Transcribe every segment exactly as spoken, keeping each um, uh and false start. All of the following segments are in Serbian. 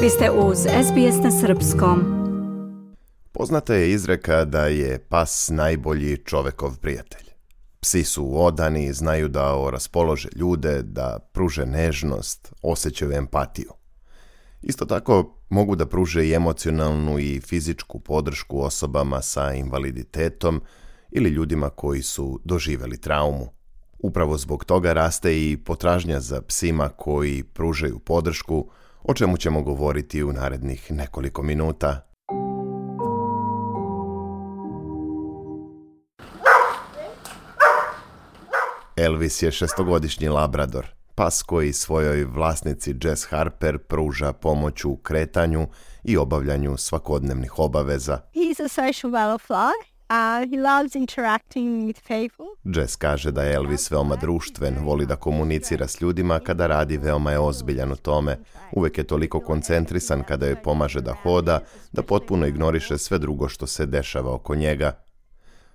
Vi ste uz S B S na srpskom. Poznata je izreka da je pas najbolji čovekov prijatelj. Psi su odani, znaju da raspolože ljude, da pruže nežnost, osjećaju empatiju. Isto tako mogu da pruže i emocionalnu i fizičku podršku osobama sa invaliditetom ili ljudima koji su doživjeli traumu. Upravo zbog toga raste i potražnja za psima koji pružaju podršku, o čemu ćemo govoriti u narednih nekoliko minuta. Elvis je šestogodišnji labrador, pas koji svojoj vlasnici Jess Harper pruža pomoć u kretanju i obavljanju svakodnevnih obaveza. He's a social butterfly. Uh, he loves interacting with people. Jess kaže da je Elvis veoma društven, voli da komunicira s ljudima, kada radi veoma je ozbiljan u tome. Uvek je toliko koncentrisan kada joj pomaže da hoda, da potpuno ignoriše sve drugo što se dešava oko njega.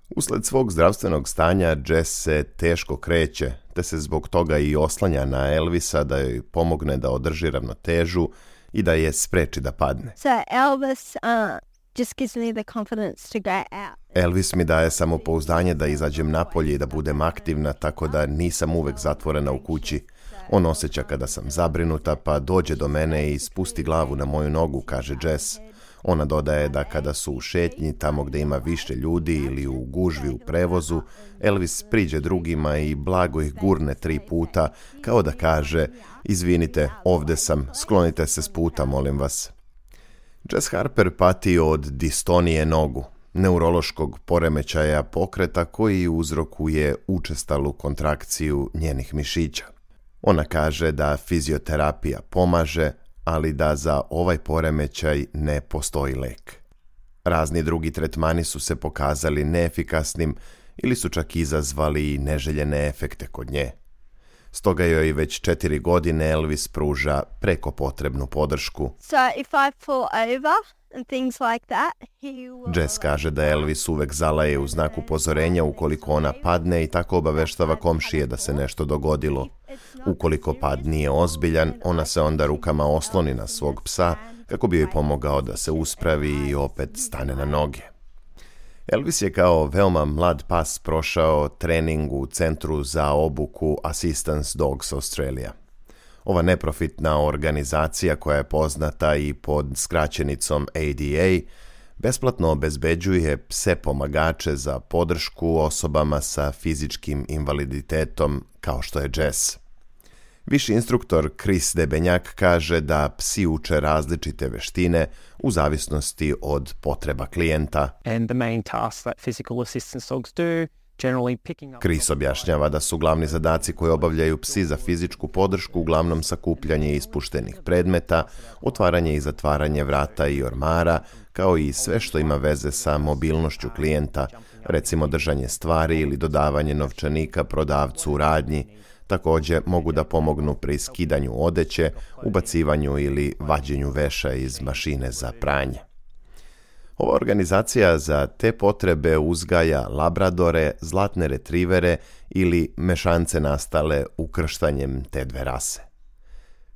Usled svog zdravstvenog stanja, Jess se teško kreće, te se zbog toga i oslanja na Elvisa da joj pomogne da održi ravnotežu i da je spreči da padne. So Elvis uh, just gives me the confidence to go out. Elvis mi daje samopouzdanje da izađem napolje i da budem aktivna, tako da nisam uvek zatvorena u kući. On osjeća kada sam zabrinuta, pa dođe do mene i spusti glavu na moju nogu, kaže Jess. Ona dodaje da kada su u šetnji, tamo gde ima više ljudi ili u gužvi u prevozu, Elvis priđe drugima i blago ih gurne tri puta, kao da kaže: izvinite, ovde sam, sklonite se s puta, molim vas. Jess Harper pati od distonije nogu, neurološkog poremećaja pokreta koji uzrokuje učestalu kontrakciju njenih mišića. Ona kaže da fizioterapija pomaže, ali da za ovaj poremećaj ne postoji lek. Razni drugi tretmani su se pokazali neefikasnim ili su čak izazvali neželjene efekte kod nje. Stoga joj već četiri godine Elvis pruža preko potrebnu podršku. So if I fall over and things like that, he will... Jess kaže da Elvis uvek zalaje u znak upozorenja ukoliko ona padne i tako obaveštava komšije da se nešto dogodilo. Ukoliko pad nije ozbiljan, ona se onda rukama osloni na svog psa kako bi joj pomogao da se uspravi i opet stane na noge. Elvis je kao veoma mlad pas prošao trening u Centru za obuku Assistance Dogs Australia. Ova neprofitna organizacija, koja je poznata i pod skraćenicom A D A, besplatno obezbeđuje pse pomagače za podršku osobama sa fizičkim invaliditetom kao što je Jess. Viši instruktor Chris Debenjak kaže da psi uče različite veštine u zavisnosti od potreba klijenta. And the main task that physical assistance dogs do, generally picking up... Chris objašnjava da su glavni zadaci koje obavljaju psi za fizičku podršku uglavnom sakupljanje ispuštenih predmeta, otvaranje i zatvaranje vrata i ormara, kao i sve što ima veze sa mobilnošću klijenta, recimo držanje stvari ili dodavanje novčanika prodavcu u radnji. Također mogu da pomognu pri skidanju odeće, ubacivanju ili vađenju veša iz mašine za pranje. Ova organizacija za te potrebe uzgaja labradore, zlatne retrivere ili mešance nastale ukrštanjem te dve rase.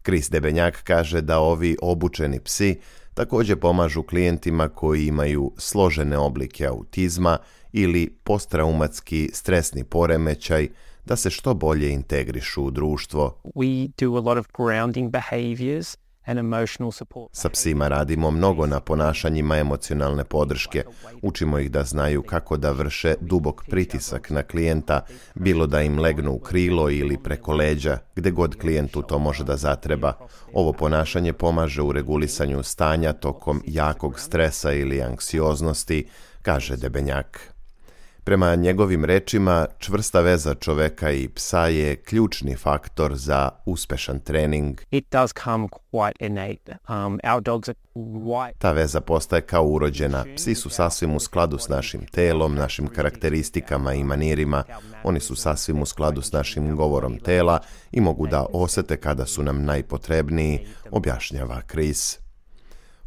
Chris Debenjak kaže da ovi obučeni psi također pomažu klijentima koji imaju složene oblike autizma ili posttraumatski stresni poremećaj, da se što bolje integrišu u društvo. We do a lot of grounding behaviors and emotional support. Sa psima radimo mnogo na ponašanjima emocionalne podrške. Učimo ih da znaju kako da vrše dubok pritisak na klijenta, bilo da im legnu u krilo ili preko leđa, gde god klijentu to može da zatreba. Ovo ponašanje pomaže u regulisanju stanja tokom jakog stresa ili anksioznosti, kaže Debenjak. Prema njegovim rečima, čvrsta veza čoveka i psa je ključni faktor za uspešan trening. It does come quite innate. Um, our dogs are quite... Ta veza postaje kao urođena. Psi su sasvim u skladu s našim telom, našim karakteristikama i manirima. Oni su sasvim u skladu s našim govorom tela i mogu da osete kada su nam najpotrebniji, objašnjava Chris.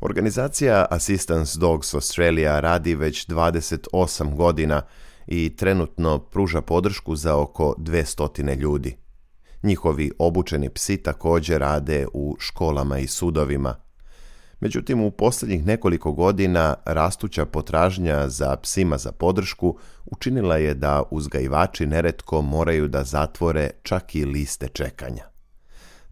Organizacija Assistance Dogs Australia radi već dvadeset osam godina i trenutno pruža podršku za oko dvesta ljudi. Njihovi obučeni psi također rade u školama i sudovima. Međutim, u posljednjih nekoliko godina rastuća potražnja za psima za podršku učinila je da uzgajivači neretko moraju da zatvore čak i liste čekanja.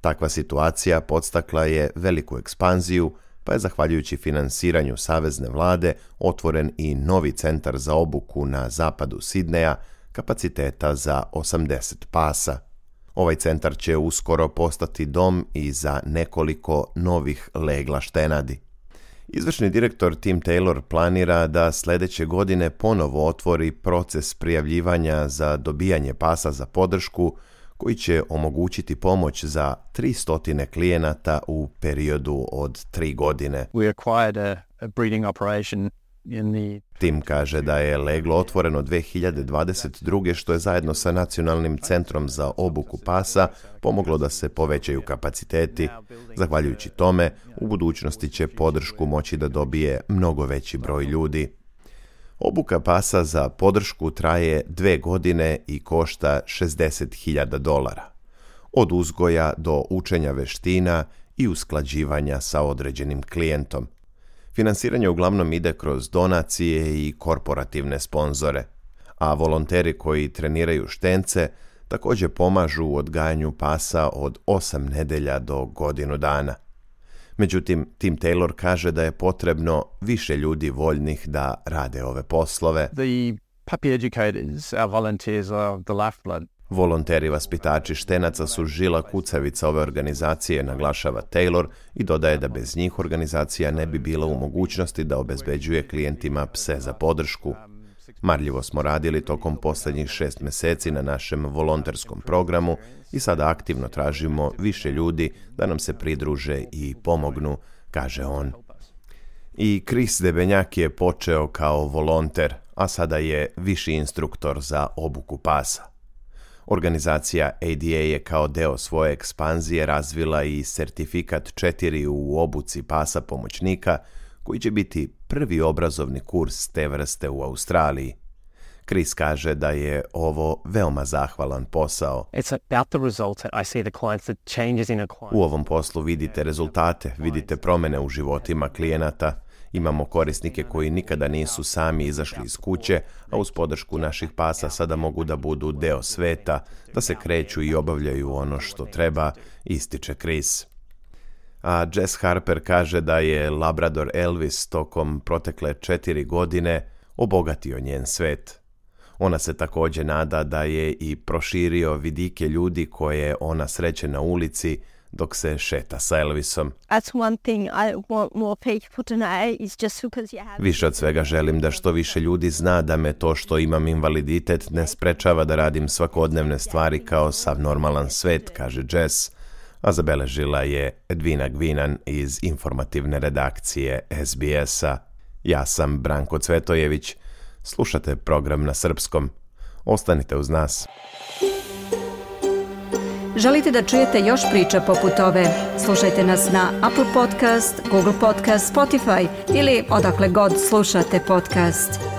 Takva situacija podstakla je veliku ekspanziju, pa je zahvaljujući finansiranju savezne vlade otvoren i novi centar za obuku na zapadu Sidneja kapaciteta za osamdeset pasa. Ovaj centar će uskoro postati dom i za nekoliko novih legla štenadi. Izvršni direktor Tim Taylor planira da sljedeće godine ponovo otvori proces prijavljivanja za dobijanje pasa za podršku, koji će omogućiti pomoć za tristo klijenata u periodu od tri godine. We acquired a, a breeding operation in the... Tim kaže da je leglo otvoreno dvije hiljade dvadeset druge što je zajedno sa Nacionalnim centrom za obuku pasa pomoglo da se povećaju kapaciteti. Zahvaljujući tome, u budućnosti će podršku moći da dobije mnogo veći broj ljudi. Obuka pasa za podršku traje dve godine i košta šezdeset hiljada dolara. Od uzgoja do učenja veština i usklađivanja sa određenim klijentom. Finansiranje uglavnom ide kroz donacije i korporativne sponzore, a volonteri koji treniraju štence također pomažu u odgajanju pasa od osam nedelja do godinu dana. Međutim, Tim Taylor kaže da je potrebno više ljudi voljnih da rade ove poslove. The puppy educators, our volunteers are the lifeblood. Volonteri vaspitači štenaca su žila kucavica ove organizacije, naglašava Taylor i dodaje da bez njih organizacija ne bi bila u mogućnosti da obezbeđuje klijentima pse za podršku. Marljivo smo radili tokom posljednjih šest mjeseci na našem volonterskom programu i sada aktivno tražimo više ljudi da nam se pridruže i pomognu, kaže on. I Chris Debenjak je počeo kao volonter, a sada je viši instruktor za obuku pasa. Organizacija A D A je kao deo svoje ekspanzije razvila i sertifikat četiri u obuci pasa pomoćnika, koji će biti prvi obrazovni kurs te vrste u Australiji. Chris kaže da je ovo veoma zahvalan posao. U ovom poslu vidite rezultate, vidite promjene u životima klijenata. Imamo korisnike koji nikada nisu sami izašli iz kuće, a uz podršku naših pasa sada mogu da budu deo sveta, da se kreću i obavljaju ono što treba, ističe Chris. A Jess Harper kaže da je Labrador Elvis tokom protekle četiri godine obogatio njen svet. Ona se također nada da je i proširio vidike ljudi koje ona sreće na ulici dok se šeta sa Elvisom. Više od svega želim da što više ljudi zna da me to što imam invaliditet ne sprečava da radim svakodnevne stvari kao sav normalan svet, kaže Jess, a zabeležila je Edvina Gvinan iz informativne redakcije S B S-a. Ja sam Branko Cvetojević. Slušate program na srpskom. Ostanite uz nas. Želite da čujete još priča poput ove? Slušajte nas na Apple Podcast, Google Podcast, Spotify ili odakle god slušate podcast.